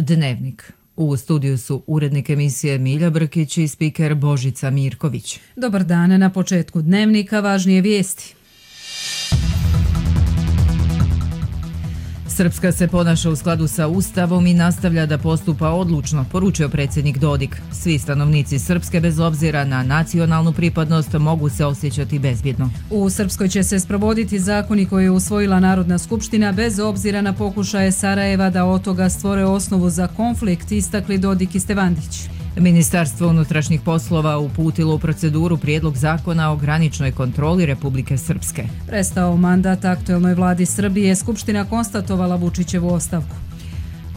Dnevnik. U studiju su urednik emisije Milja Brkić i spiker Božica Mirković. Dobar dan, na početku Dnevnika važnije vijesti. Srpska se ponaša u skladu sa Ustavom i nastavlja da postupa odlučno, poručio predsjednik Dodik. Svi stanovnici Srpske, bez obzira na nacionalnu pripadnost, mogu se osjećati bezbjedno. U Srpskoj će se sprovoditi zakoni koje je usvojila Narodna skupština bez obzira na pokušaje Sarajeva da od toga stvore osnovu za konflikt, istakli Dodik i Stevandić. Ministarstvo unutrašnjih poslova uputilo u proceduru prijedlog zakona o graničnoj kontroli Republike Srpske. Prestao mandat aktuelnoj vladi Srbije, Skupština konstatovala Vučićevu ostavku.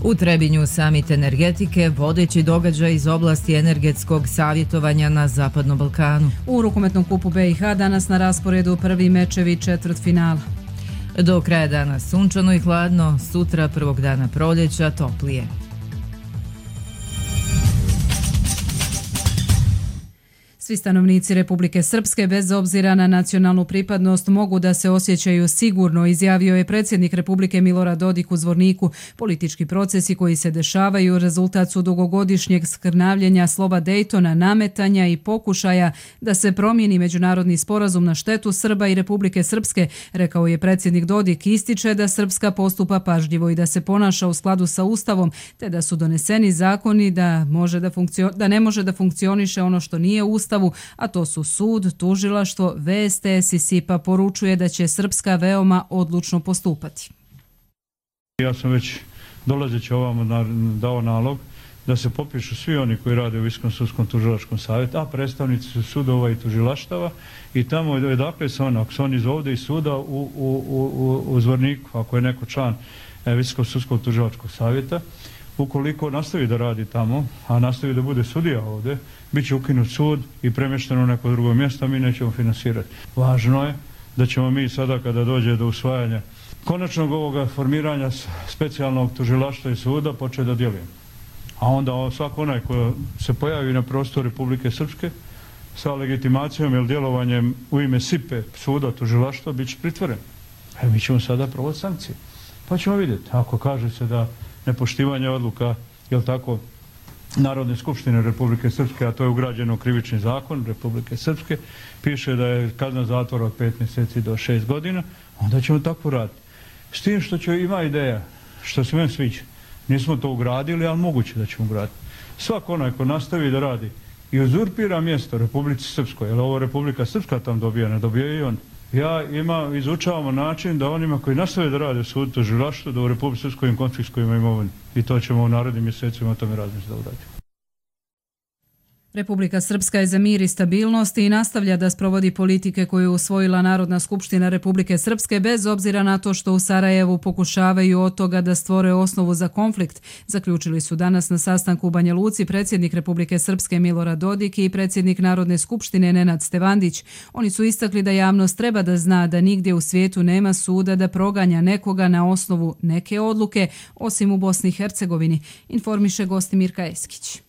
U Trebinju samit energetike, vodeći događaj iz oblasti energetskog savjetovanja na Zapadnom Balkanu. U rukometnom kupu BiH danas na rasporedu prvi mečevi četvrtfinala. Do kraja dana sunčano i hladno, sutra prvog dana proljeća toplije. Svi stanovnici Republike Srpske, bez obzira na nacionalnu pripadnost, mogu da se osjećaju sigurno, izjavio je predsjednik Republike Milorad Dodik u Zvorniku. Politički procesi koji se dešavaju rezultat su dugogodišnjeg skrnavljenja slova Dejtona, nametanja i pokušaja da se promijeni međunarodni sporazum na štetu Srba i Republike Srpske, rekao je predsjednik Dodik. Ističe da Srpska postupa pažljivo i da se ponaša u skladu sa Ustavom, te da su doneseni zakoni da ne može da funkcioniše ono što nije Ustav, a to su sud, tužilaštvo. VSTS i SIPA poručuje da će Srpska veoma odlučno postupati. Ja sam već dolazeći ovamo dao nalog da se popišu svi oni koji rade u Visokom sudskom tužilačkom savjetu, a predstavnici su sudova i tužilaštava, i tamo odakle se ako su oni iz ovdje iz suda u Zvorniku, ako je neko član Visokog sudskog tužilačkog savjeta, ukoliko nastavi da radi tamo, a nastavi da bude sudija ovdje, bit će ukinut sud i premješteno u neko drugo mjesto, a mi nećemo finansirati. Važno je da ćemo mi sada, kada dođe do usvajanja konačnog ovoga formiranja specijalnog tužilaštva i suda, početi da djelujemo. A onda svako onaj ko se pojavi na prostoru Republike Srpske sa legitimacijom ili djelovanjem u ime SIPE, suda, tužilaštva, bit će pritvoren. Mi ćemo sada provoditi sankcije. Pa ćemo vidjeti. Ako kaže se da nepoštivanje odluka, jel tako, Narodne skupštine Republike Srpske, a to je ugrađeno u krivični zakon Republike Srpske, piše da je kazna zatvora od 5 mjeseci do 6 godina, onda ćemo tako raditi. S tim što će ima ideja, što se meni sviđa. Nismo to ugradili, ali moguće da ćemo ugraditi. Svako onaj ko nastavi da radi i uzurpira mjesto Republici Srpskoj, jer ovo Republika Srpska tam dobija, ne dobija i on. Izučavamo način da onima koji nastave da rade u sudu tužilaštvu, da u Republici Srpskoj im konfiskujemo imovinu. I to ćemo u narednim mjesecima o tome razmišljati da uradimo. Republika Srpska je za mir i stabilnost i nastavlja da sprovodi politike koje je usvojila Narodna skupština Republike Srpske, bez obzira na to što u Sarajevu pokušavaju od toga da stvore osnovu za konflikt, zaključili su danas na sastanku u Banja Luci predsjednik Republike Srpske Milorad Dodik i predsjednik Narodne skupštine Nenad Stevandić. Oni su istakli da javnost treba da zna da nigdje u svijetu nema suda da proganja nekoga na osnovu neke odluke, osim u Bosni i Hercegovini, informiše Gostimirka Eskić.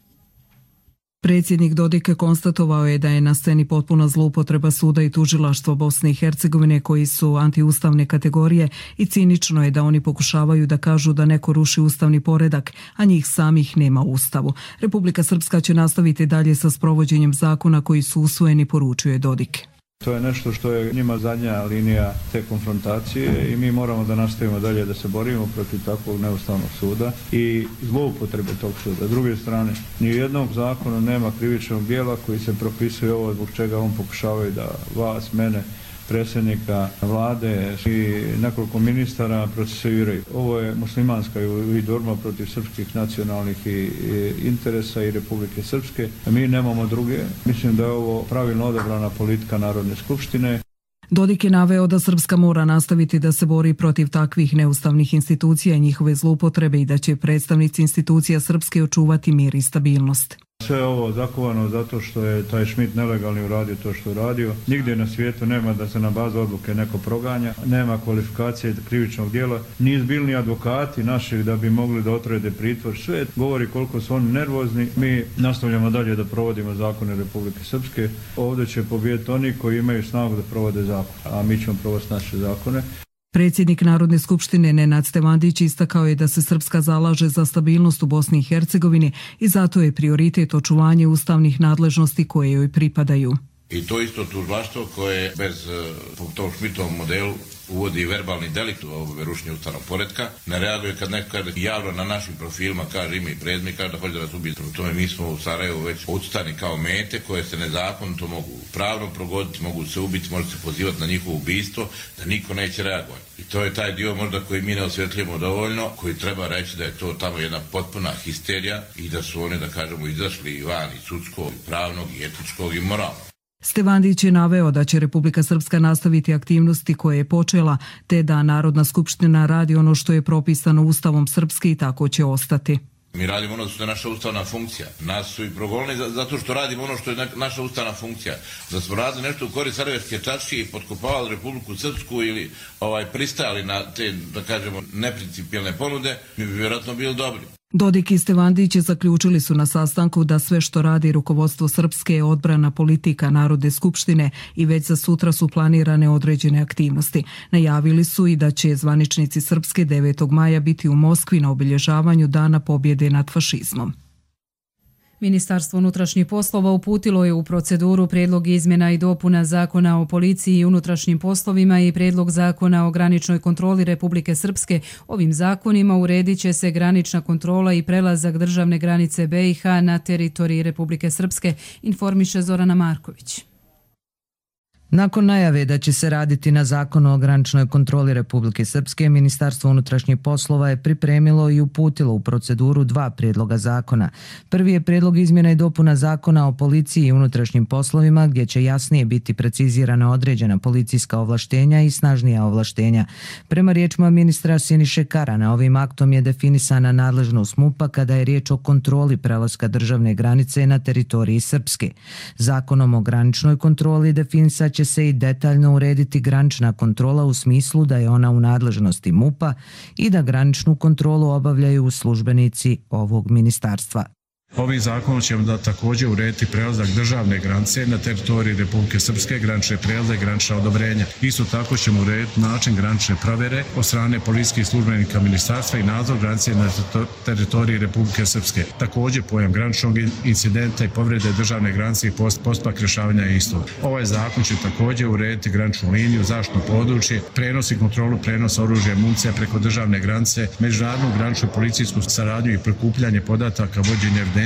Predsjednik Dodik konstatovao je da je na sceni potpuna zloupotreba suda i tužilaštva Bosne i Hercegovine koji su antiustavne kategorije i cinično je da oni pokušavaju da kažu da neko ruši ustavni poredak, a njih samih nema u Ustavu. Republika Srpska će nastaviti dalje sa sprovođenjem zakona koji su usvojeni, poručuje Dodik. To je nešto što je njima zadnja linija te konfrontacije i mi moramo da nastavimo dalje da se borimo protiv takvog neustavnog suda i zloupotrebe tog suda. S druge strane, ni u jednog zakona nema krivičnog djela koji se propisuje ovo zbog čega on pokušavaju da vas, mene, predsjednika vlade i nekoliko ministara procesuiraju. Ovo je muslimanska i borba protiv srpskih nacionalnih interesa i Republike Srpske. Mi nemamo druge. Mislim da je ovo pravilno odabrana politika Narodne skupštine. Dodik je naveo da Srpska mora nastaviti da se bori protiv takvih neustavnih institucija i njihove zloupotrebe i da će predstavnici institucija Srpske očuvati mir i stabilnost. Sve ovo zakovano zato što je taj Schmidt nelegalni uradio to što je uradio. Nigdje na svijetu nema da se na bazu odluke neko proganja, nema kvalifikacije krivičnog djela, ni izbilni advokati naših da bi mogli da otrede pritvor. Sve govori koliko su oni nervozni. Mi nastavljamo dalje da provodimo zakone Republike Srpske. Ovdje će pobijediti oni koji imaju snagu da provode zakon, a mi ćemo provoditi naše zakone. Predsjednik Narodne skupštine Nenad Stevandić istakao je da se Srpska zalaže za stabilnost u Bosni i Hercegovini i zato je prioritet očuvanje ustavnih nadležnosti koje joj pripadaju. I to isto tužilaštvo koje bez po tom Šmitovom modelu uvodi verbalni delikt u rušenje ustavnog poretka, ne reaguje kad neko javno na našim profilima kaže ime i prezime, kaže da hoće da nas ubije. Prema tome mi smo u Sarajevu već odstani kao mete koje se nezakonito mogu pravno progoditi, mogu se ubiti, može se pozivati na njihovo ubistvo, da niko neće reagovati. I to je taj dio možda koji mi ne osvjetljujemo dovoljno, koji treba reći da je to tamo jedna potpuna histerija i da su oni, da kažemo, izašli van i sudskog, i pravnog, i etičkog, i moralnog. Stevandić je naveo da će Republika Srpska nastaviti aktivnosti koje je počela, te da Narodna skupština radi ono što je propisano Ustavom Srpske i tako će ostati. Mi radimo ono što je naša ustavna funkcija. Nas su i progonili zato što radimo ono što je naša ustavna funkcija. Da smo radili nešto u korist Sarajevske čaršije i potkopavali Republiku Srpsku ili pristajali na te, da kažemo, neprincipijelne ponude, mi bi vjerojatno bili dobri. Dodik i Stevandić zaključili su na sastanku da sve što radi rukovodstvo Srpske je odbrana politika Narodne skupštine i već za sutra su planirane određene aktivnosti. Najavili su i da će zvaničnici Srpske 9. maja biti u Moskvi na obilježavanju Dana pobjede nad fašizmom. Ministarstvo unutrašnjih poslova uputilo je u proceduru prijedlog izmjena i dopuna Zakona o policiji i unutrašnjim poslovima i prijedlog Zakona o graničnoj kontroli Republike Srpske. Ovim zakonima uredit će se granična kontrola i prelazak državne granice BiH na teritoriji Republike Srpske, informiše Zorana Marković. Nakon najave da će se raditi na Zakonu o graničnoj kontroli Republike Srpske, Ministarstvo unutrašnjih poslova je pripremilo i uputilo u proceduru 2 prijedloga zakona. Prvi je prijedlog izmjena i dopuna Zakona o policiji i unutrašnjim poslovima, gdje će jasnije biti precizirana određena policijska ovlaštenja i snažnija ovlaštenja. Prema riječima ministra Siniše Karana, ovim aktom je definisana nadležnost MUP-a kada je riječ o kontroli prelaska državne granice na teritoriji Srpske. Zakonom o graničnoj kontroli definisat će se i detaljno urediti granična kontrola u smislu da je ona u nadležnosti MUP-a i da graničnu kontrolu obavljaju službenici ovog ministarstva. Ovim zakonom ćemo da također urediti prelazak državne granice na teritoriji Republike Srpske, granične prelaze i granična odobrenja. Isto tako ćemo urediti način granične provjere od strane policijskih službenika ministarstva i nadzor granice na teritoriji Republike Srpske. Također pojam graničnog incidenta i povrede državne granice i postupak rješavanja istog. Ovaj zakon će također urediti graničnu liniju, zaštitno područje, prenos i kontrolu prenosa oružja i municija preko državne granice, međunarodnu graničnu policijsku saradnju i prikupljanje podataka, vođenje evidencije.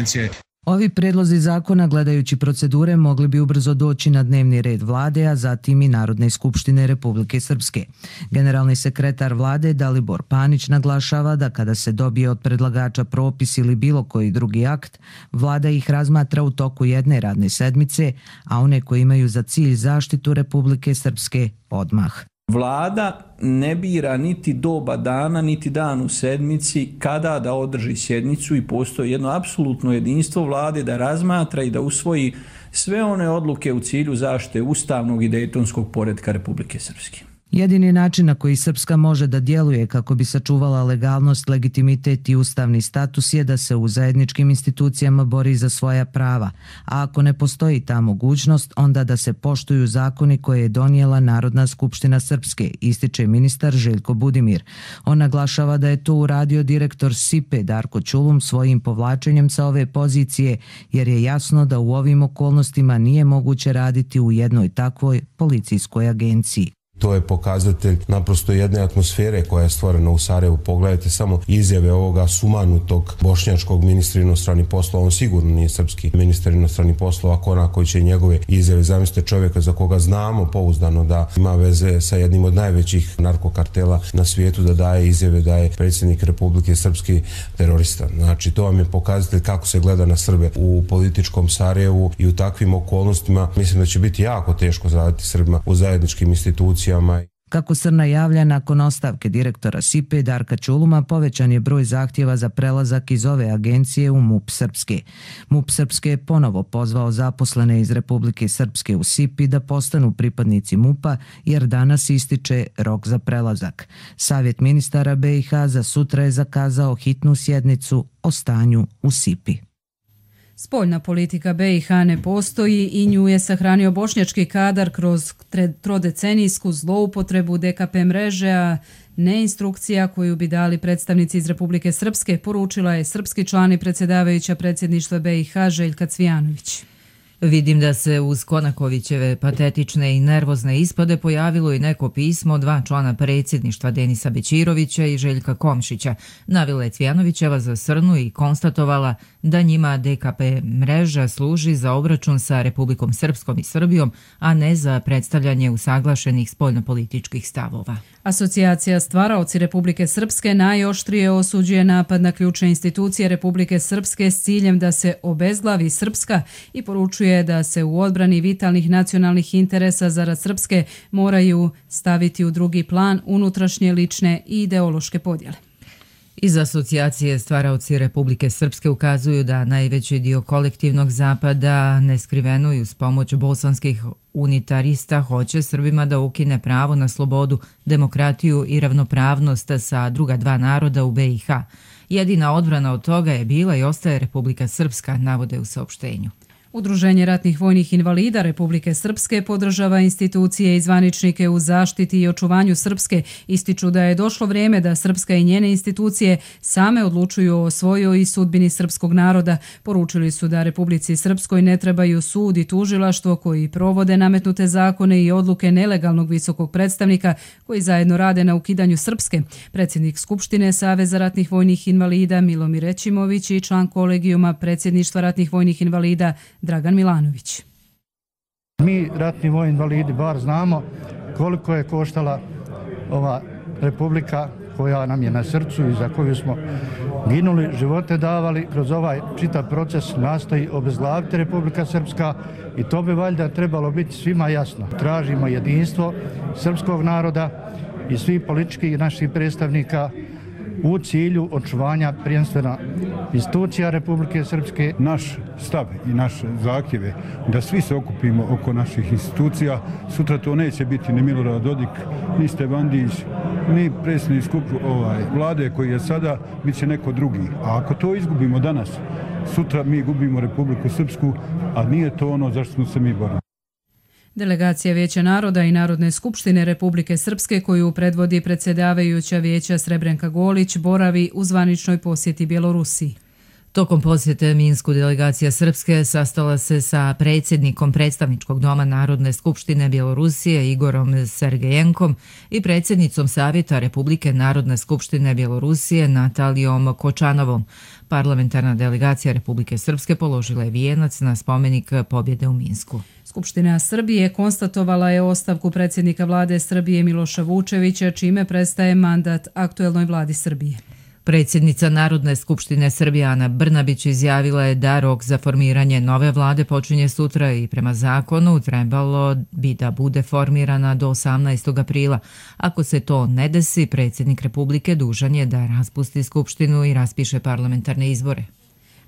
Ovi predlozi zakona, gledajući procedure, mogli bi ubrzo doći na dnevni red vlade, a zatim i Narodne skupštine Republike Srpske. Generalni sekretar vlade Dalibor Panić naglašava da kada se dobije od predlagača propis ili bilo koji drugi akt, vlada ih razmatra u toku jedne radne sedmice, a one koji imaju za cilj zaštitu Republike Srpske odmah. Vlada ne bira niti doba dana, niti dan u sedmici kada da održi sjednicu i postoji jedno apsolutno jedinstvo vlade da razmatra i da usvoji sve one odluke u cilju zaštite ustavnog i dejtonskog poretka Republike Srpske. Jedini način na koji Srpska može da djeluje kako bi sačuvala legalnost, legitimitet i ustavni status je da se u zajedničkim institucijama bori za svoja prava, a ako ne postoji ta mogućnost, onda da se poštuju zakoni koje je donijela Narodna skupština Srpske, ističe ministar Željko Budimir. On naglašava da je to uradio direktor SIPE Darko Ćulum svojim povlačenjem sa ove pozicije, jer je jasno da u ovim okolnostima nije moguće raditi u jednoj takvoj policijskoj agenciji. To je pokazatelj naprosto jedne atmosfere koja je stvorena u Sarajevu. Pogledajte samo izjave ovoga sumanutog bošnjačkog ministra inostranih poslova. On sigurno nije srpski ministar inostranih poslova, ako koji će njegove izjave. Zamislite čovjeka za koga znamo pouzdano da ima veze sa jednim od najvećih narkokartela na svijetu, da daje izjave da je predsjednik Republike Srpski terorista. Znači, to vam je pokazatelj kako se gleda na Srbe u političkom Sarajevu i u takvim okolnostima. Mislim da će biti jako teško zaraditi Srbima u zajedničkim institucijama. Kako Srna javlja, nakon ostavke direktora SIPE Darka Ćuluma povećan je broj zahtjeva za prelazak iz ove agencije u MUP Srpske. MUP Srpske je ponovo pozvao zaposlene iz Republike Srpske u SIPI da postanu pripadnici MUP-a jer danas ističe rok za prelazak. Savjet ministara BiH za sutra je zakazao hitnu sjednicu o stanju u SIPI. Spoljna politika BiH ne postoji i nju je sahranio bošnjački kadar kroz trodecenijsku zloupotrebu DKP mreže, a ne instrukcija koju bi dali predstavnici iz Republike Srpske, poručila je srpski član i predsjedavajuća predsjedništva BiH Željka Cvijanović. Vidim da se uz Konakovićeve patetične i nervozne ispade pojavilo i neko pismo dva člana predsjedništva Denisa Bećirovića i Željka Komšića. Navila je Cvijanovićeva za Srnu i konstatovala da njima DKP mreža služi za obračun sa Republikom Srpskom i Srbijom, a ne za predstavljanje usaglašenih spoljnopolitičkih stavova. Asocijacija Stvaraoci Republike Srpske najoštrije osuđuje napad na ključne institucije Republike Srpske s ciljem da se obezglavi Srpska i poručuje da se u odbrani vitalnih nacionalnih interesa zarad Srpske moraju staviti u drugi plan unutrašnje, lične i ideološke podjele. Iz Asocijacije Stvaraoci Republike Srpske ukazuju da najveći dio kolektivnog zapada neskriveno i uz pomoć bosanskih unitarista hoće Srbima da ukine pravo na slobodu, demokratiju i ravnopravnost sa druga dva naroda u BiH. Jedina odbrana od toga je bila i ostaje Republika Srpska, navode u saopštenju. Udruženje ratnih vojnih invalida Republike Srpske podržava institucije i zvaničnike u zaštiti i očuvanju Srpske, ističu da je došlo vrijeme da Srpska i njene institucije same odlučuju o svojoj i sudbini srpskog naroda. Poručili su da Republici Srpskoj ne trebaju sud i tužilaštvo koji provode nametnute zakone i odluke nelegalnog visokog predstavnika koji zajedno rade na ukidanju Srpske. Predsjednik Skupštine Saveza ratnih vojnih invalida Milomir Rećimović i član kolegijuma predsjedništva ratnih vojnih invalida Dragan Milanović. Mi, ratni vojni invalidi, bar znamo koliko je koštala ova republika koja nam je na srcu i za koju smo ginuli, živote davali. Kroz ovaj čitav proces nastoji obezglaviti Republika Srpska i to bi valjda trebalo biti svima jasno. Tražimo jedinstvo srpskog naroda i svih političkih naših predstavnika u cilju očuvanja prvenstveno institucija Republike Srpske. Naš stav i naš zahtjev je da svi se okupimo oko naših institucija. Sutra to neće biti ni Milorad Dodik, ni Stevandić, ni predsjednik vlade koji je sada, bit će neko drugi. A ako to izgubimo danas, sutra mi gubimo Republiku Srpsku, a nije to ono zašto smo se mi borili. Delegacija Vijeća naroda i Narodne skupštine Republike Srpske koju predvodi predsjedavajuća vijeća Srebrenka Golić boravi u zvaničnoj posjeti Bjelorusiji. Tokom posjete Minsku delegacija Srpske sastala se sa predsjednikom predstavničkog doma Narodne skupštine Bjelorusije Igorom Sergejenkom i predsjednicom Savjeta Republike Narodne skupštine Bjelorusije Natalijom Kočanovom. Parlamentarna delegacija Republike Srpske položila je vijenac na spomenik pobjede u Minsku. Skupština Srbije konstatovala je ostavku predsjednika vlade Srbije Miloša Vučevića, čime prestaje mandat aktuelnoj vladi Srbije. Predsjednica Narodne skupštine Srbije Ana Brnabić izjavila je da rok za formiranje nove vlade počinje sutra i prema zakonu trebalo bi da bude formirana do 18. aprila. Ako se to ne desi, predsjednik Republike dužan je da raspusti skupštinu i raspiše parlamentarne izbore.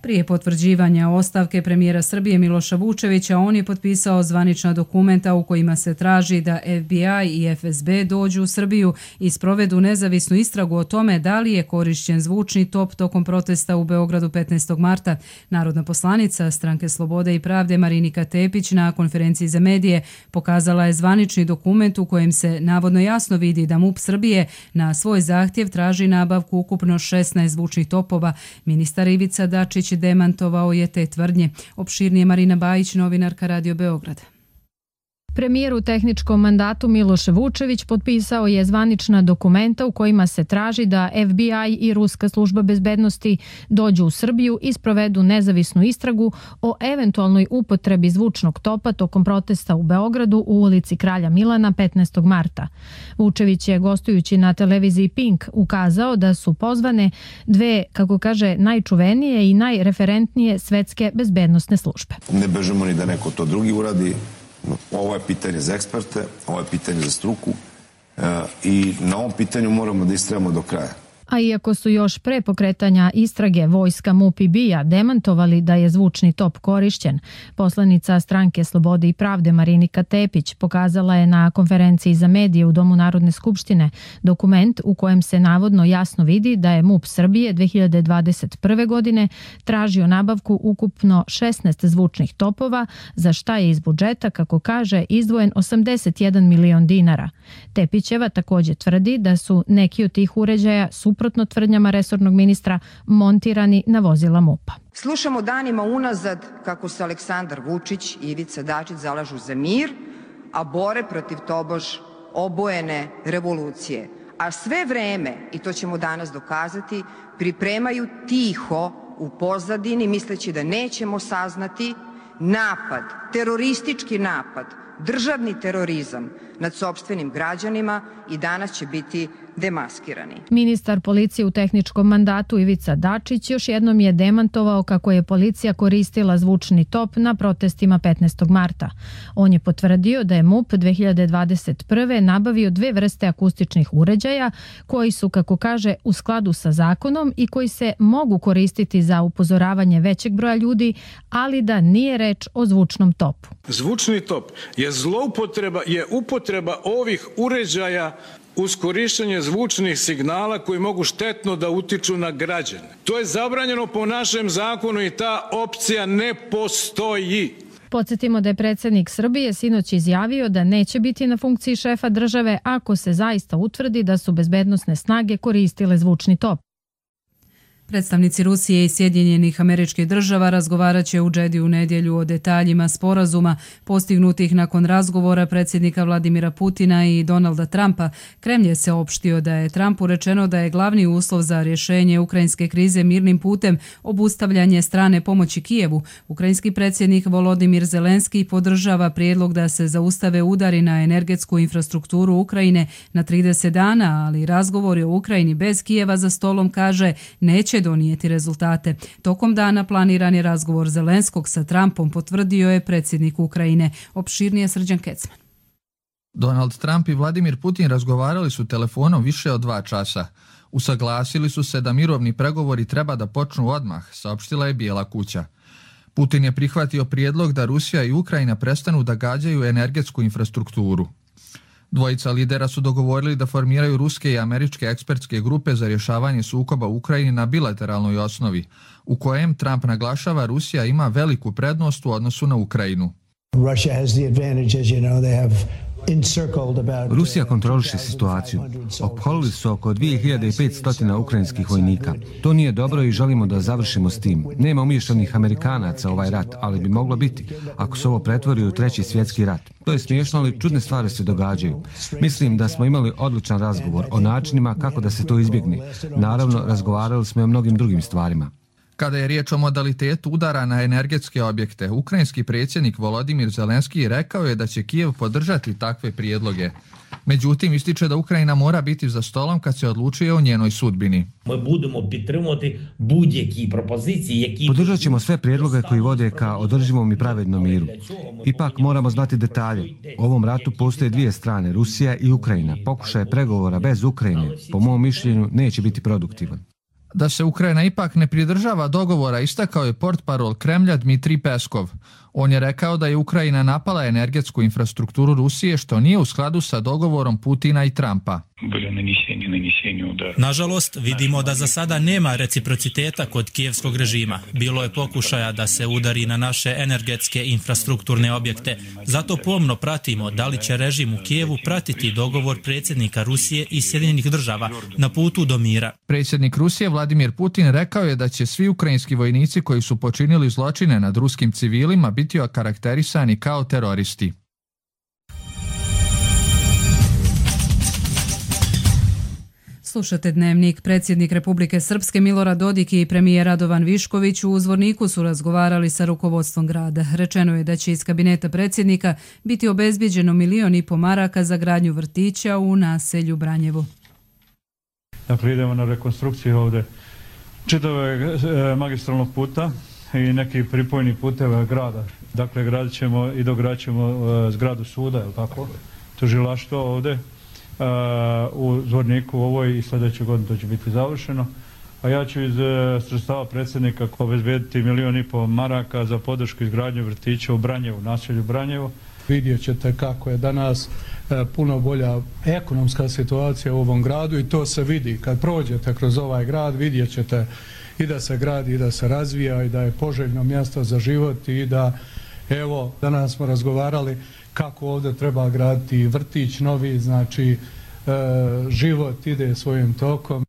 Prije potvrđivanja ostavke premijera Srbije Miloša Vučevića, on je potpisao zvanična dokumenta u kojima se traži da FBI i FSB dođu u Srbiju i sprovedu nezavisnu istragu o tome da li je korišćen zvučni top tokom protesta u Beogradu 15. marta. Narodna poslanica Stranke Slobode i pravde Marinika Tepić na konferenciji za medije pokazala je zvanični dokument u kojem se navodno jasno vidi da MUP Srbije na svoj zahtjev traži nabavku ukupno 16 zvučnih topova. Ministar Ivica Dačić demantovao je te tvrdnje. Opširnije Marina Bajić, novinarka Radio Beograd. Premijer u tehničkom mandatu Miloš Vučević potpisao je zvanična dokumenta u kojima se traži da FBI i Ruska služba bezbednosti dođu u Srbiju i sprovedu nezavisnu istragu o eventualnoj upotrebi zvučnog topa tokom protesta u Beogradu u ulici Kralja Milana 15. marta. Vučević je gostujući na televiziji Pink ukazao da su pozvane dve, kako kaže, najčuvenije i najreferentnije svetske bezbednosne službe. Ne bežemo ni da neko to drugi uradi. Ovo je pitanje za eksperte, ovo je pitanje za struku i na ovom pitanju moramo da istrajemo do kraja. A iako su još pre pokretanja istrage vojska MUP i BIA demantovali da je zvučni top korišćen, poslanica Stranke Slobode i pravde Marinika Tepić pokazala je na konferenciji za medije u Domu Narodne skupštine dokument u kojem se navodno jasno vidi da je MUP Srbije 2021. godine tražio nabavku ukupno 16 zvučnih topova, za šta je iz budžeta, kako kaže, izdvojen 81 milion dinara. Tepićeva također tvrdi da su neki od tih uređaja suprotno tvrdnjama resornog ministra montirani na vozila MUP-a. Slušamo danima unazad kako se Aleksandar Vučić i Ivica Dačić zalažu za mir, a bore protiv tobož obojene revolucije. A sve vreme, i to ćemo danas dokazati, pripremaju tiho u pozadini, misleći da nećemo saznati, napad, teroristički napad, državni terorizam nad sopstvenim građanima i danas će biti demaskirani. Ministar policije u tehničkom mandatu Ivica Dačić još jednom je demantovao kako je policija koristila zvučni top na protestima 15. marta. On je potvrdio da je MUP 2021. nabavio 2 vrste akustičnih uređaja koji su, kako kaže, u skladu sa zakonom i koji se mogu koristiti za upozoravanje većeg broja ljudi, ali da nije reč o zvučnom topu. Zvučni top je upotreba ovih uređaja uz korištenje zvučnih signala koji mogu štetno da utiču na građane. To je zabranjeno po našem zakonu i ta opcija ne postoji. Podsjetimo da je predsjednik Srbije sinoć izjavio da neće biti na funkciji šefa države ako se zaista utvrdi da su bezbednosne snage koristile zvučni top. Predstavnici Rusije i Sjedinjenih Američkih Država razgovarat će u Džedi u nedjelju o detaljima sporazuma postignutih nakon razgovora predsjednika Vladimira Putina i Donalda Trumpa. Kremlj je se opštio da je Trumpu rečeno da je glavni uslov za rješenje ukrajinske krize mirnim putem obustavljanje strane pomoći Kijevu. Ukrajinski predsjednik Volodimir Zelenski podržava prijedlog da se zaustave udari na energetsku infrastrukturu Ukrajine na 30 dana, ali razgovori o Ukrajini bez Kijeva za stolom, kaže, neće donijeti rezultate. Tokom dana planiran je razgovor Zelenskog sa Trumpom, potvrdio je predsjednik Ukrajine. Opširnije Srđan Kecman. Donald Trump i Vladimir Putin razgovarali su telefonom više od 2 časa. Usaglasili su se da mirovni pregovori treba da počnu odmah, saopštila je Bijela kuća. Putin je prihvatio prijedlog da Rusija i Ukrajina prestanu da gađaju energetsku infrastrukturu. Dvojica lidera su dogovorili da formiraju ruske i američke ekspertske grupe za rješavanje sukoba u Ukrajini na bilateralnoj osnovi, u kojem Trump naglašava Rusija ima veliku prednost u odnosu na Ukrajinu. Rusija kontroliše situaciju. Opkolili su oko 2500 ukrajinskih vojnika. To nije dobro i želimo da završimo s tim. Nema umiješanih Amerikanaca ovaj rat, ali bi moglo biti ako se ovo pretvori u 3. svjetski rat. To je smiješno, ali čudne stvari se događaju. Mislim da smo imali odličan razgovor o načinima kako da se to izbjegne. Naravno, razgovarali smo i o mnogim drugim stvarima. Kada je riječ o modalitetu udara na energetske objekte, ukrajinski predsjednik Volodimir Zelenski rekao je da će Kijev podržati takve prijedloge. Međutim, ističe da Ukrajina mora biti za stolom kad se odlučuje o njenoj sudbini. Podržat ćemo sve prijedloge koji vode ka održivom i pravednom miru. Ipak moramo znati detalje. U ovom ratu postoje 2 strane, Rusija i Ukrajina. Pokušaj pregovora bez Ukrajine, po mom mišljenju, neće biti produktivan. Da se Ukrajina ipak ne pridržava dogovora, istakao je portparol Kremlja Dmitrij Peskov. On je rekao da je Ukrajina napala energetsku infrastrukturu Rusije, što nije u skladu sa dogovorom Putina i Trumpa. Nažalost, vidimo da za sada nema reciprociteta kod kijevskog režima. Bilo je pokušaja da se udari na naše energetske infrastrukturne objekte. Zato pomno pratimo da li će režim u Kijevu pratiti dogovor predsjednika Rusije i Sjedinjenih Država na putu do mira. Predsjednik Rusije Vladimir Putin rekao je da će svi ukrajinski vojnici koji su počinili zločine nad ruskim civilima biti okarakterisani kao teroristi. Slušate Dnevnik. Predsjednik Republike Srpske Milorad Dodik i premijer Radovan Višković u Zvorniku su razgovarali sa rukovodstvom grada. Rečeno je da će iz kabineta predsjednika biti obezbijeđeno 1,5 miliona maraka za gradnju vrtića u naselju Branjevo. Dakle, idemo na rekonstrukciju ovdje čitavog magistralnog puta i neki pripojni puteva grada. Dakle, gradit ćemo i dogradit ćemo zgradu suda, je li tako? Tužilaštvo ovdje. u Zvorniku ovoj i sljedeće godine to će biti završeno. A ja ću iz sredstava predsjednika obezbediti 1,5 milijuna maraka za podršku izgradnje vrtića u Branjevu, naselju Branjevo. Vidjet ćete kako je danas puno bolja ekonomska situacija u ovom gradu i to se vidi. Kad prođete kroz ovaj grad vidjet ćete i da se gradi i da se razvija i da je poželjno mjesto za život i da, evo, danas smo razgovarali kako ovdje treba graditi vrtić novi, znači život ide svojim tokom.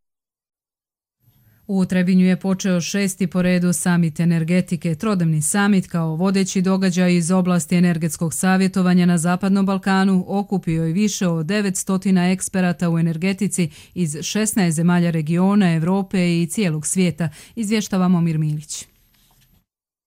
U Trebinju je počeo 6. po redu samit energetike. Trodnevni samit kao vodeći događaj iz oblasti energetskog savjetovanja na Zapadnom Balkanu okupio je više od 900 eksperata u energetici iz 16 zemalja regiona, Europe i cijelog svijeta, izvještava Momir Milić.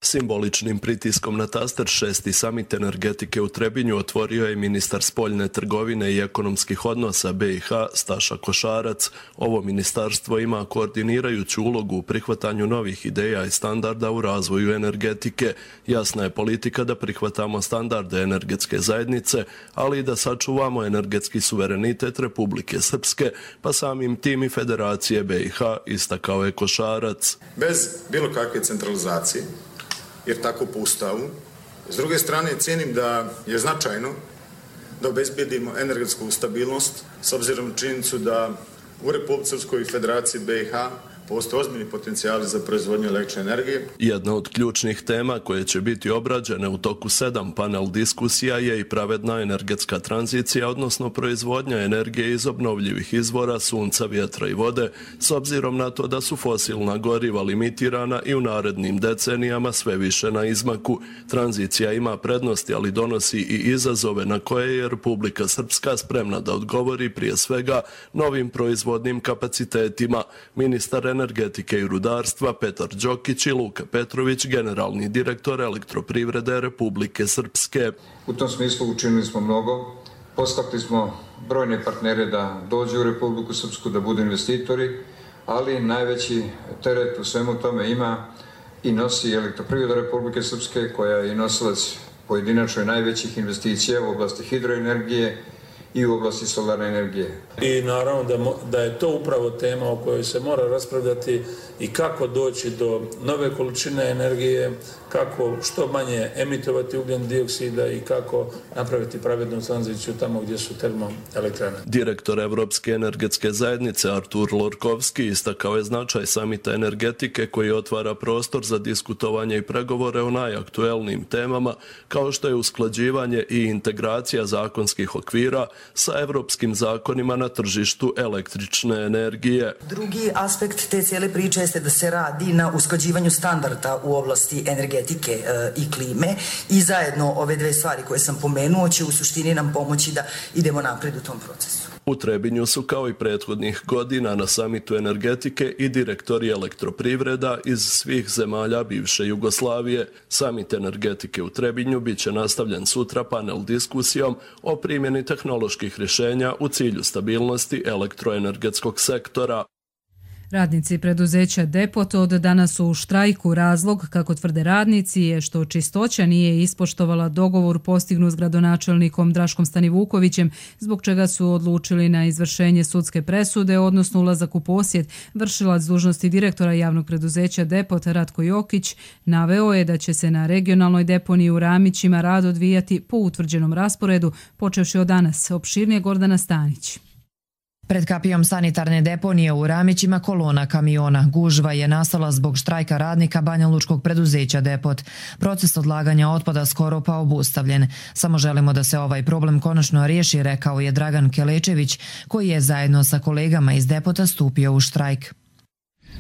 Simboličnim pritiskom na taster 6. samit energetike u Trebinju otvorio je ministar spoljne trgovine i ekonomskih odnosa BiH Staša Košarac. Ovo ministarstvo ima koordinirajuću ulogu u prihvatanju novih ideja i standarda u razvoju energetike. Jasna je politika da prihvatamo standarde energetske zajednice, ali i da sačuvamo energetski suverenitet Republike Srpske, pa samim tim i Federacije BiH, istakao je Košarac. Bez bilo kakve centralizacije, jer tako po Ustavu. S druge strane, cijenim da je značajno da obezbedimo energetsku stabilnost s obzirom na činjenicu da u Republici Srpskoj i Federaciji BiH postoje ozbiljni potencijali za proizvodnju električne energije. Jedna od ključnih tema koje će biti obrađene u toku 7 panel diskusija je i pravedna energetska tranzicija, odnosno proizvodnja energije iz obnovljivih izvora, sunca, vjetra i vode, s obzirom na to da su fosilna goriva limitirana i u narednim decenijama sve više na izmaku. Tranzicija ima prednosti, ali donosi i izazove na koje je Republika Srpska spremna da odgovori, prije svega novim proizvodnim kapacitetima. Ministar energetike i rudarstva Petar Đokić i Luka Petrović, generalni direktor Elektroprivrede Republike Srpske. U tom smislu učinili smo mnogo. Postakli smo brojne partnere da dođu u Republiku Srpsku, da budu investitori, ali najveći teret u svemu tome ima i nosi Elektroprivreda Republike Srpske, koja je nosilac pojedinačno najvećih investicija u oblasti hidroenergije i u oblasti solarne energije. I naravno da je to upravo tema o kojoj se mora raspravljati i kako doći do nove količine energije, kako što manje emitovati ugljen dioksida i kako napraviti pravednu tranziciju tamo gdje su termoelektrane. Direktor Evropske energetske zajednice Artur Lorkovski istakao je značaj samita energetike koji otvara prostor za diskutovanje i pregovore o najaktuelnijim temama, kao što je usklađivanje i integracija zakonskih okvira sa evropskim zakonima na tržištu električne energije. Drugi aspekt te cijele priče jeste da se radi na usklađivanju standarda u oblasti energetike i klime i zajedno ove dve stvari koje sam pomenuo će u suštini nam pomoći da idemo napred u tom procesu. U Trebinju su kao i prethodnih godina na samitu energetike i direktori elektroprivreda iz svih zemalja bivše Jugoslavije. Samit energetike u Trebinju bit će nastavljen sutra panel diskusijom o primjeni tehnoloških rješenja u cilju stabilnosti elektroenergetskog sektora. Radnici preduzeća Depot od danas su u štrajku. Razlog, kako tvrde radnici, je što Čistoća nije ispoštovala dogovor postignut s gradonačelnikom Draškom Stanivukovićem, zbog čega su odlučili na izvršenje sudske presude, odnosno ulazak u posjed. Vršilac dužnosti direktora javnog preduzeća Depot Ratko Jokić naveo je da će se na regionalnoj deponiji u Ramićima rad odvijati po utvrđenom rasporedu, počevši od danas. Opširnije Gordana Stanić. Pred kapijom sanitarne deponije u Ramićima kolona kamiona. Gužva je nastala zbog štrajka radnika banjalučkog preduzeća Depot. Proces odlaganja otpada skoro pa obustavljen. Samo želimo da se ovaj problem konačno riješi, rekao je Dragan Kelečević, koji je zajedno sa kolegama iz Depota stupio u štrajk.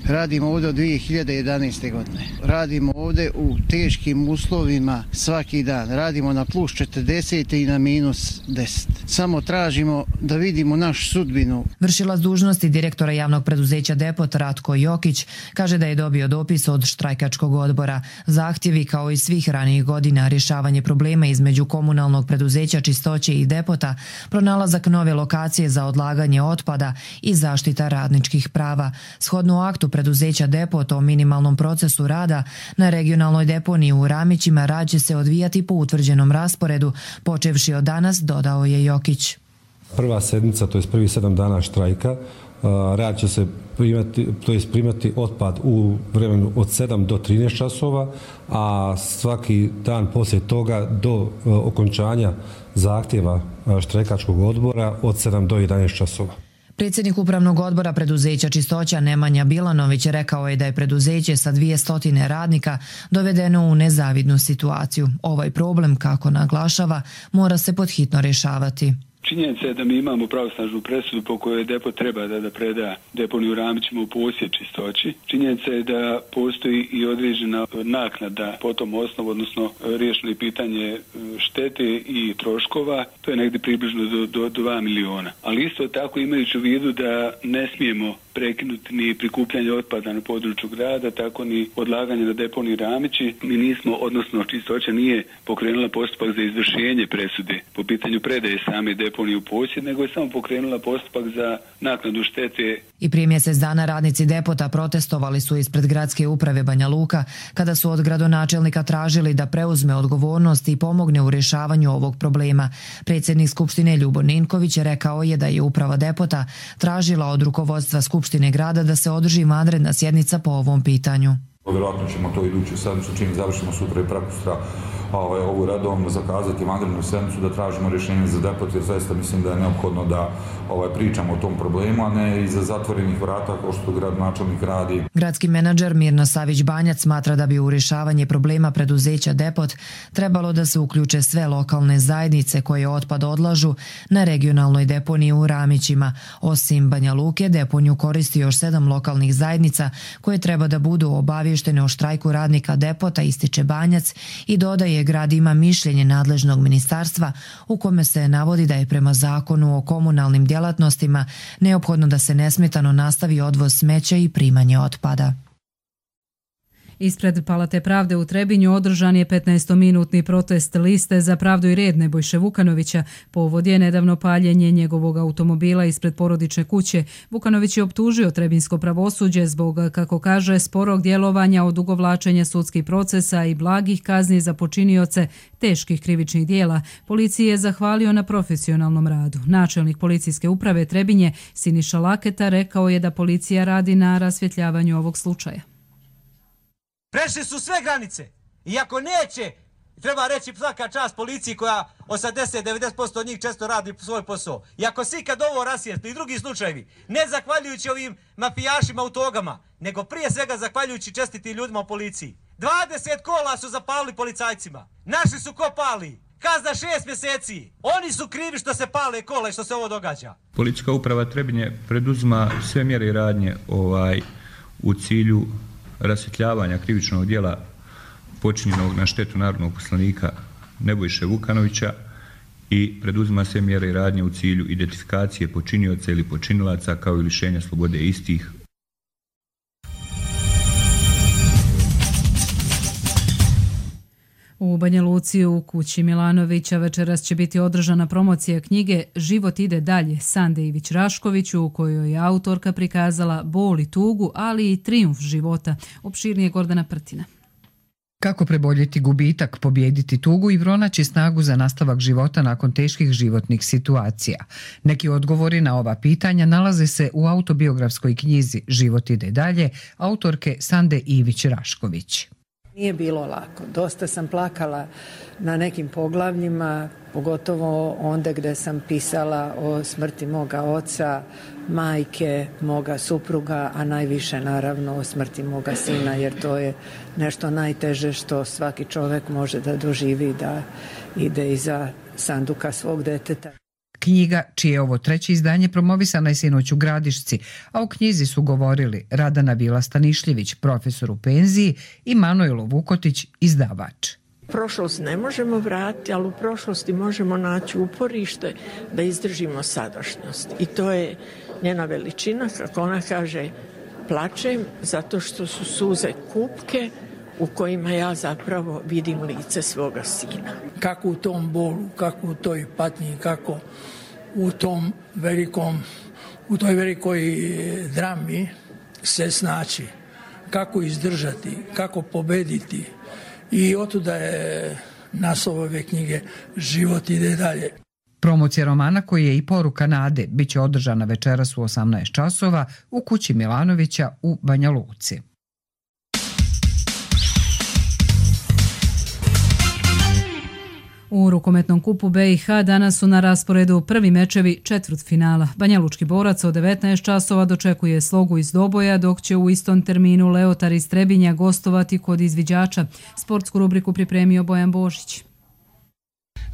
Radimo ovdje od 2011. godine. Radimo ovdje u teškim uslovima svaki dan. Radimo na plus 40 i na minus 10. Samo tražimo da vidimo našu sudbinu. Vršilac dužnosti direktora javnog preduzeća Depot Ratko Jokić kaže da je dobio dopis od štrajkačkog odbora. Zahtjevi, kao i svih ranijih godina, rješavanje problema između komunalnog preduzeća Čistoće i Depota, pronalazak nove lokacije za odlaganje otpada i zaštita radničkih prava. Shodno aktu preduzeća Depot o minimalnom procesu rada na regionalnoj deponiji u Ramićima rad će se odvijati po utvrđenom rasporedu, počevši od danas, dodao je Jokić. Prva sedmica, to je prvi 7 dana štrajka, rad će se primati otpad u vremenu od 7 do 13 časova, a svaki dan poslije toga do okončanja zahtjeva štrajkačkog odbora od 7 do 11 časova. Predsjednik Upravnog odbora preduzeća Čistoća Nemanja Bilanović rekao je da je preduzeće sa 200 radnika dovedeno u nezavidnu situaciju. Ovaj problem, kako naglašava, mora se podhitno rješavati. Činjenica je da mi imamo pravosnažnu presudu po kojoj depo treba da preda deponiju Ramićima u posjed Čistoći. Činjenica je da postoji i određena naknada po tom osnovu, odnosno riješeno je pitanje štete i troškova. To je negdje približno do 2 miliona. Ali isto tako imajući u vidu da ne smijemo prekinuti ni prikupljanje otpada na području grada, tako ni odlaganje na deponiji Ramići. Mi nismo, odnosno Čistoća nije pokrenula postupak za izvršenje presude po pitanju predaje same deponije u posjed, nego je samo pokrenula postupak za naknadu štete. I prije mjesec dana radnici depota protestovali su ispred gradske uprave Banja Luka kada su od gradonačelnika tražili da preuzme odgovornost i pomogne u rješavanju ovog problema. Predsjednik Skupštine Ljubo Ninković rekao je da je uprava depota tražila od rukovodstva Skupštine grada da se održi vanredna sjednica po ovom pitanju. Vjerojatno ćemo to iduću sedmicu, čim završimo sutra i prekosutra ovu redovno zakazati vanrednu sedmicu da tražimo rješenje za depot, jer zaista mislim da je neophodno da pričamo o tom problemu, a ne iza zatvorenih vrata kao što gradonačelnik radi. Gradski menadžer Mirna Savić-Banjac smatra da bi u rješavanje problema preduzeća Depot trebalo da se uključe sve lokalne zajednice koje otpad odlažu na regionalnoj deponiji u Ramićima. Osim Banja Luke, deponiju koristi još 7 lokalnih zajednica koje treba da budu obavještene o štrajku radnika Depota, ističe Banjac i dodaje grad ima mišljenje nadležnog ministarstva u kome se navodi da je prema zakonu o komunalnim djelatnostima neophodno da se nesmetano nastavi odvoz smeća i primanje otpada. Ispred Palate pravde u Trebinju održan je 15-minutni protest Liste za pravdu i red Nebojše Vukanovića. Povod je nedavno paljenje njegovog automobila ispred porodične kuće. Vukanović je optužio trebinsko pravosuđe zbog, kako kaže, sporog djelovanja, odugovlačenja sudskih procesa i blagih kazni za počinioce teških krivičnih dijela. Policiji je zahvalio na profesionalnom radu. Načelnik policijske uprave Trebinje Siniša Laketa rekao je da policija radi na rasvjetljavanju ovog slučaja. Prešli su sve granice. Iako neće, treba reći svaka čast policiji koja 80-90% od njih često radi svoj posao. I ako se ikad ovo rasvijetli i drugi slučajevi, ne zahvaljujući ovim mafijašima u togama, nego prije svega zahvaljujući čestitim ljudima u policiji. 20 kola su zapalili policajcima. Našli su ko pali. Kazna 6 mjeseci. Oni su krivi što se pale kola i što se ovo događa. Policijska uprava Trebinje preduzima sve mjere i radnje u cilju rasvjetljavanja krivičnog djela počinjenog na štetu narodnog poslanika Nebojše Vukanovića i preduzima sve mjere i radnje u cilju identifikacije počinioca ili počinilaca kao i lišenja slobode istih. U Banja Luci u kući Milanovića večeras će biti održana promocija knjige Život ide dalje Sande Ivić-Rašković, u kojoj je autorka prikazala bol i tugu, ali i trijumf života. Opširnije Gordana Prtina. Kako preboljeti gubitak, pobijediti tugu i pronaći snagu za nastavak života nakon teških životnih situacija? Neki odgovori na ova pitanja nalaze se u autobiografskoj knjizi Život ide dalje autorke Sande Ivić-Rašković. Nije bilo lako. Dosta sam plakala na nekim poglavljima, pogotovo onda gdje sam pisala o smrti moga oca, majke, moga supruga, a najviše naravno o smrti moga sina, jer to je nešto najteže što svaki čovjek može da doživi, da ide iza sanduka svog deteta. Knjiga, čije je ovo 3. izdanje, promovisana je sinoć u Gradišci, a u knjizi su govorili Radana Bila-Stanišljević, profesor u penziji, i Manojlo Vukotić, izdavač. Prošlost ne možemo vratiti, ali u prošlosti možemo naći uporište da izdržimo sadašnjost. I to je njena veličina, kako ona kaže, plačem zato što su suze kupke u kojima ja zapravo vidim lice svoga sina. Kako u tom bolu, kako u toj patnji, kako u toj velikoj drami se snaći, kako izdržati, kako pobediti. I otuda je naslov ove knjige Život ide dalje. Promocija romana, koji je i poruka nade, bit će održana večeras u 18 časova u kući Milanovića u Banja Luci. U rukometnom kupu BiH danas su na rasporedu prvi mečevi četvrtfinala. Banjalučki borac od 19 časova dočekuje Slogu iz Doboja, dok će u istom terminu Leotar iz Trebinja gostovati kod izviđača. Sportsku rubriku pripremio Bojan Božić.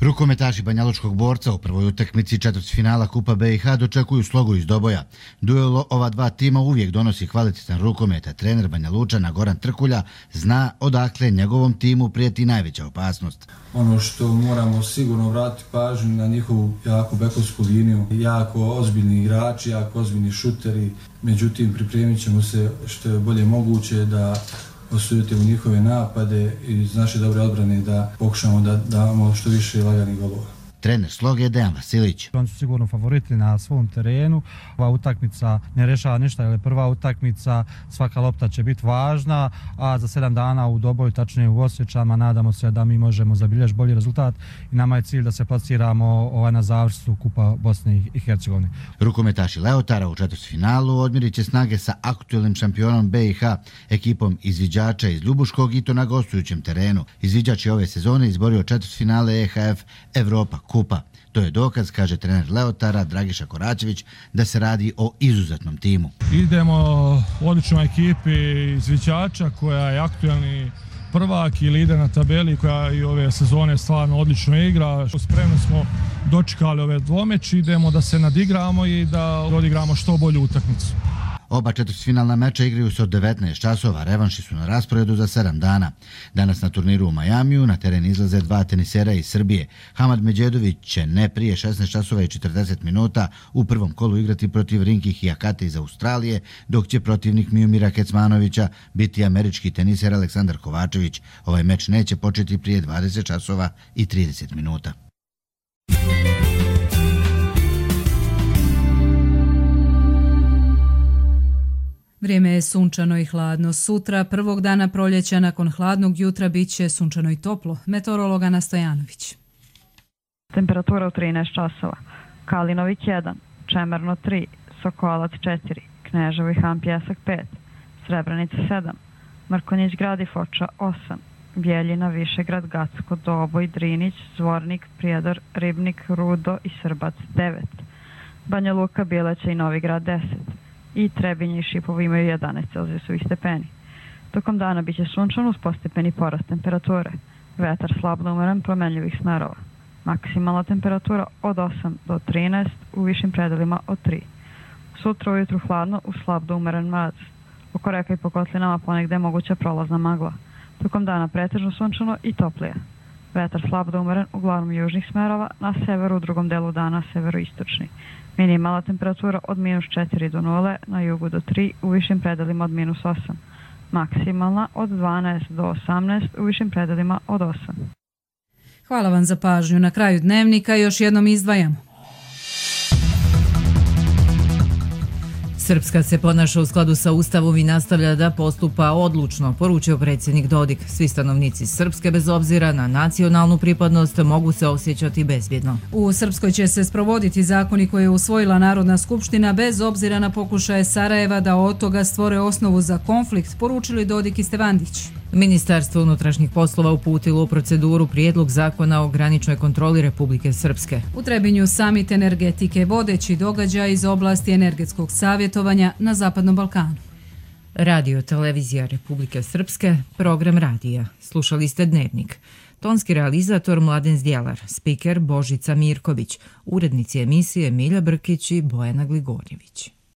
Rukometaši Banjalučkog borca u prvoj utakmici četvrtfinala Kupa BiH dočekuju Slogu iz Doboja. Duel ova dva tima uvijek donosi kvalitetan rukomet, a trener Banjalučana Goran Trkulja zna odakle njegovom timu prijeti najveća opasnost. Ono što moramo sigurno vratiti pažnju na njihovu jako bekovsku liniju, jako ozbiljni igrači, jako ozbiljni šuteri, međutim pripremit ćemo se što je bolje moguće da osuditi u njihove napade i iz naše dobre odbrane da pokušamo da damo što više laganih golova. Trener Sloge je Dejan Vasilić. Oni su sigurno favoriti na svom terenu. Ova utakmica ne rešava ništa, jer je prva utakmica, svaka lopta će biti važna, a za 7 dana u Doboju, tačnije u Osjećama, nadamo se da mi možemo zabilježiti bolji rezultat i nama je cilj da se plasiramo na završnicu Kupa Bosne i Hercegovine. Rukometaši Leotara u četvrtfinalu odmjerit će snage sa aktuelnim šampionom BiH, ekipom izviđača iz Ljubuškog, i to na gostujućem terenu. Izviđač je ove sezone izborio četvrtfinale EHF Evropa Kupa. To je dokaz, kaže trener Leotara Dragiša Koračević, da se radi o izuzetnom timu. Idemo u odličnoj ekipi izviđača koja je aktuelni prvak i lider na tabeli, koja i ove sezone stvarno odlično igra. Spremno smo dočekali ove dvomeći, idemo da se nadigramo i da odigramo što bolju utakmicu. Oba četvrtfinalna meča igraju se od 19 časova, revanši su na rasporedu za 7 dana. Danas na turniru u Majamiju na teren izlaze dva tenisera iz Srbije. Hamad Međedović će ne prije 16 časova i 40 minuta u prvom kolu igrati protiv Rinki Hijakate iz Australije, dok će protivnik Miomira Kecmanovića biti američki teniser Aleksandar Kovačević. Ovaj meč neće početi prije 20 časova i 30 minuta. Vrijeme je sunčano i hladno. Sutra, prvog dana proljeća, nakon hladnog jutra, bit će sunčano i toplo. Meteorolog Ana Stojanović. Temperatura u 13 časova. Kalinovik 1, Čemerno 3, Sokolac 4, Kneževo i Han Pjesak 5, Srebrenica 7, Mrkonjić Grad i Foča 8, Bjeljina, Višegrad, Gacko, Doboj, Drinić, Zvornik, Prijedor, Ribnik, Rudo i Srbac 9, Banja Luka, Bileća i Novigrad 10, i Trebinje i Šipovo imaju 11 celzijusovih stepeni. Tokom dana bit će sunčano uz postepeni porast temperature. Vetar slab da umeren, promenljivih smerova. Maksimalna temperatura od 8 do 13, u višim predelima od 3. Sutra ujutru hladno uz slab da umeren mraz. Oko reka i po kotlinama ponegde je moguća prolazna magla. Tokom dana pretežno sunčano i toplije. Vetar slab da umeren, uglavnom južnih smerova, na severu u drugom delu dana severoistočni. Minimalna temperatura od -4 do 0, na jugu do 3, u višim predelima od -8. Maksimalna od 12 do 18, u višim predelima od 8. Hvala vam za pažnju. Na kraju dnevnika još jednom izdvajamo. Srpska se ponaša u skladu sa Ustavom i nastavlja da postupa odlučno, poručio predsjednik Dodik. Svi stanovnici Srpske, bez obzira na nacionalnu pripadnost, mogu se osjećati bezbjedno. U Srpskoj će se sprovoditi zakoni koje je usvojila Narodna skupština bez obzira na pokušaje Sarajeva da od toga stvore osnovu za konflikt, poručili Dodik i Stevandić. Ministarstvo unutrašnjih poslova uputilo u proceduru prijedlog zakona o graničnoj kontroli Republike Srpske. U Trebinju samit energetike, vodeći događaj iz oblasti energetskog savjetovanja na Zapadnom Balkanu. Radio Televizija Republike Srpske, program radija. Slušali ste Dnevnik. Tonski realizator Mladen Zdjelar, spiker Božica Mirković, urednici emisije Milja Brkić i Bojana Gligorjević.